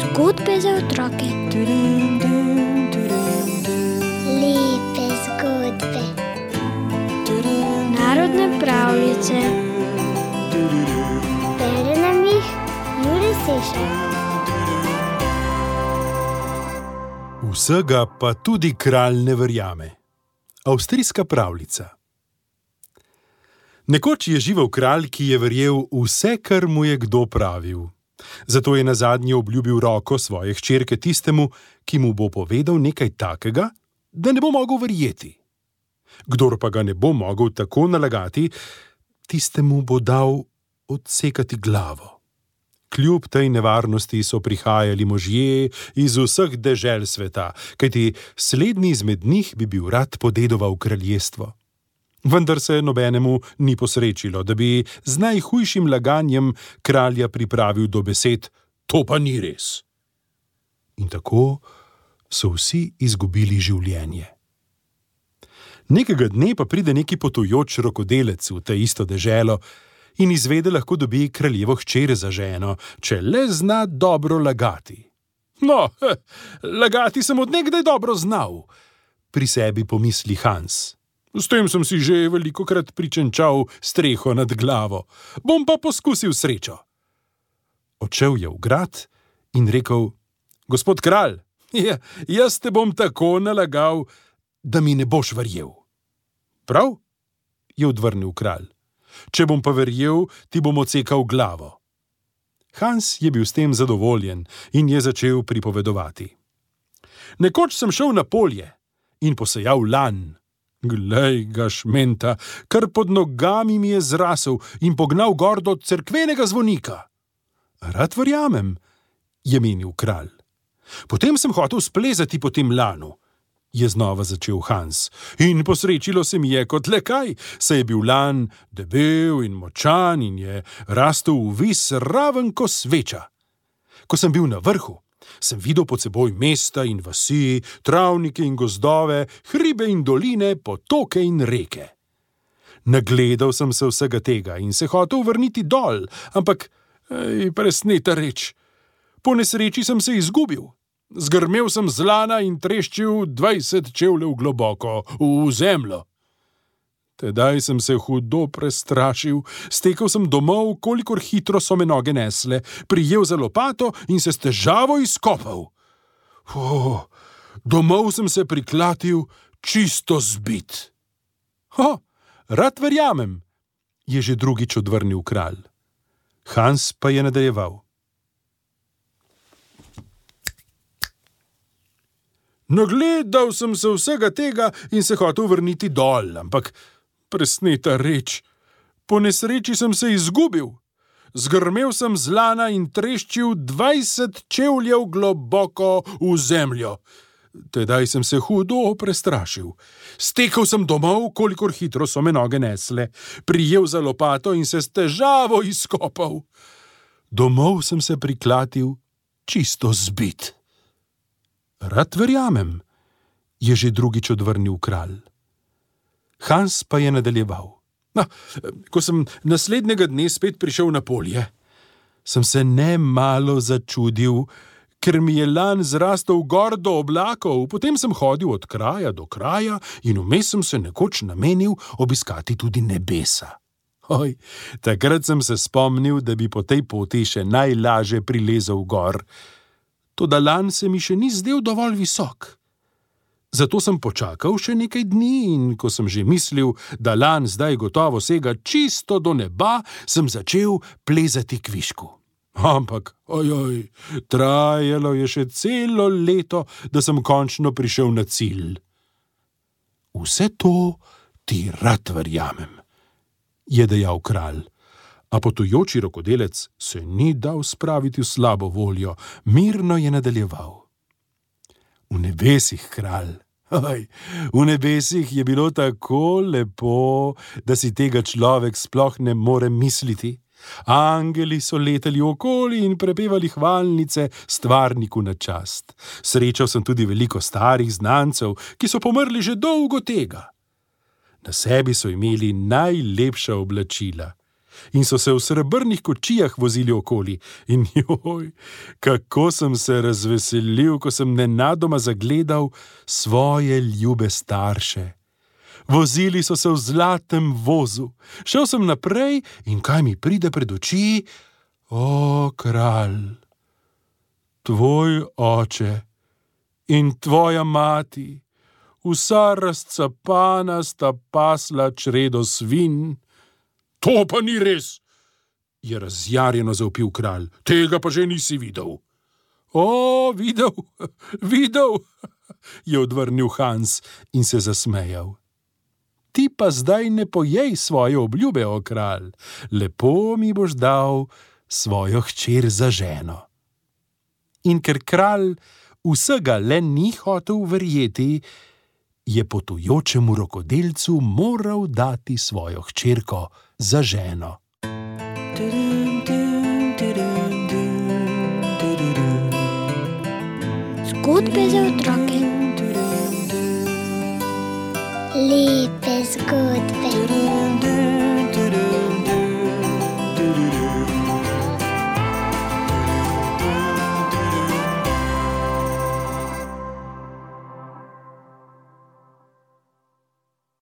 Zgodbe za otroke. Lepe zgodbe. Narodne pravljice. Bere nam jih Jure Sešar. Vsega pa tudi kralj ne verjame. Avstrijska pravljica. Nekoč je živel kralj, ki je verjel vse, kar mu je kdo pravil. Zato je nazadnje obljubil roko svoje hčerke tistemu, ki mu bo povedal nekaj takega, da ne bo mogel verjeti. Kdor pa ga ne bo mogel tako nalagati, tistemu bo dal odsekati glavo. Kljub tej nevarnosti so prihajali možje iz vseh dežel sveta, kajti slednji izmed njih bi bil rad podedoval kraljestvo. Vendar se nobenemu ni posrečilo, da bi z najhujšim laganjem kralja pripravil do besed: to pa ni res. In tako so vsi izgubili življenje. Nekega dne pa pride neki potujoč rokodelec v te isto deželo in izvede, lahko dobi kraljevo hčer za ženo, če le zna dobro lagati. No, lagati sem od nekdaj dobro znal, pri sebi pomisli Hans. S tem sem si že velikokrat pričenčal streho nad glavo. Bom pa poskusil srečo. Odšel je v grad in rekel: gospod kralj, jaz te bom tako nalagal, da mi ne boš verjel. Prav, je odvrnil kralj. Če bom pa verjel, ti bom odsekal glavo. Hans je bil s tem zadovoljen in je začel pripovedovati. Nekoč sem šel na polje in posejal lan. Glej ga šmenta, kar pod nogami mi je zrasel in pognal gor do cerkvenega zvonika. Rad verjamem, je menil kralj. Potem sem hotel splezati po tem lanu, je znova začel Hans, in posrečilo se mi je kot le kaj, saj je bil lan debel in močan in je rastel vvis raven ko sveča. Ko sem bil na vrhu, sem videl pod seboj mesta in vasi, travnike in gozdove, hribe in doline, potoke in reke. Nagledal sem se vsega tega in se hotel vrniti dol, ampak, presneta reč, po nesreči sem se izgubil. Zgrmel sem z lana in treščil 20 čevljev globoko v zemljo. Tedaj sem se hudo prestrašil, stekel sem domov, kolikor hitro so me noge nesle, prijel za lopato in se s težavo izkopal. Domov sem se priklatil čisto zbit. Rad verjamem, je že drugič odvrnil kralj. Hans pa je nadaljeval. Nagledal sem se vsega tega in se hotel vrniti dol, ampak presneta reč, po nesreči sem se izgubil. Zgrmel sem z lana in treščil 20 čevljev globoko v zemljo. Tedaj sem se hudo prestrašil. Stekel sem domov, kolikor hitro so me noge nesle, prijel za lopato in se s težavo izkopal. Domov sem se priklatil čisto zbit. Rad verjamem, je že drugič odvrnil kralj. Hans pa je nadaljeval. Ko sem naslednjega dne spet prišel na polje, sem se nemalo začudil, ker mi je lan zrastel gor do oblakov, potem sem hodil od kraja do kraja in vmes sem se nekoč namenil obiskati tudi nebesa. Takrat sem se spomnil, da bi po tej poti še najlaže prilezel gor. Toda lan se mi še ni zdel dovolj visok. Zato sem počakal še nekaj dni in ko sem že mislil, da lan zdaj gotovo sega čisto do neba, sem začel plezati kvišku. Ampak, trajalo je še celo leto, da sem končno prišel na cilj. Vse to ti rad verjamem, je dejal kralj. A potujoči rokodelec se ni dal spraviti v slabo voljo, mirno je nadaljeval. V nebesih, kralj, v nebesih je bilo tako lepo, da si tega človek sploh ne more misliti. Angeli so letali okoli in prepevali hvalnice stvarniku na čast. Srečal sem tudi veliko starih znancev, ki so pomrli že dolgo tega. Na sebi so imeli najlepša oblačila. in so se v srebrnih kočijah vozili okoli. In joj, kako sem se razveselil, ko sem nenadoma zagledal svoje ljube starše. Vozili so se v zlatem vozu. Šel sem naprej in kaj mi pride pred oči? O, kralj, tvoj oče in tvoja mati, vsa razcapana sta pasla čredo svinj. To pa ni res, je razjarjeno zavpil kralj. Tega pa že nisi videl. O, videl, je odvrnil Hans in se zasmejal. Ti pa zdaj ne pojej svoje obljube, o kralj. Lepo mi boš dal svojo hčer za ženo. In ker kralj vsega le ni hotel verjeti, je potujočemu rokodelcu moral dati svojo hčerko za ženo. Zgodbe za otroke. Lepe zgodbe.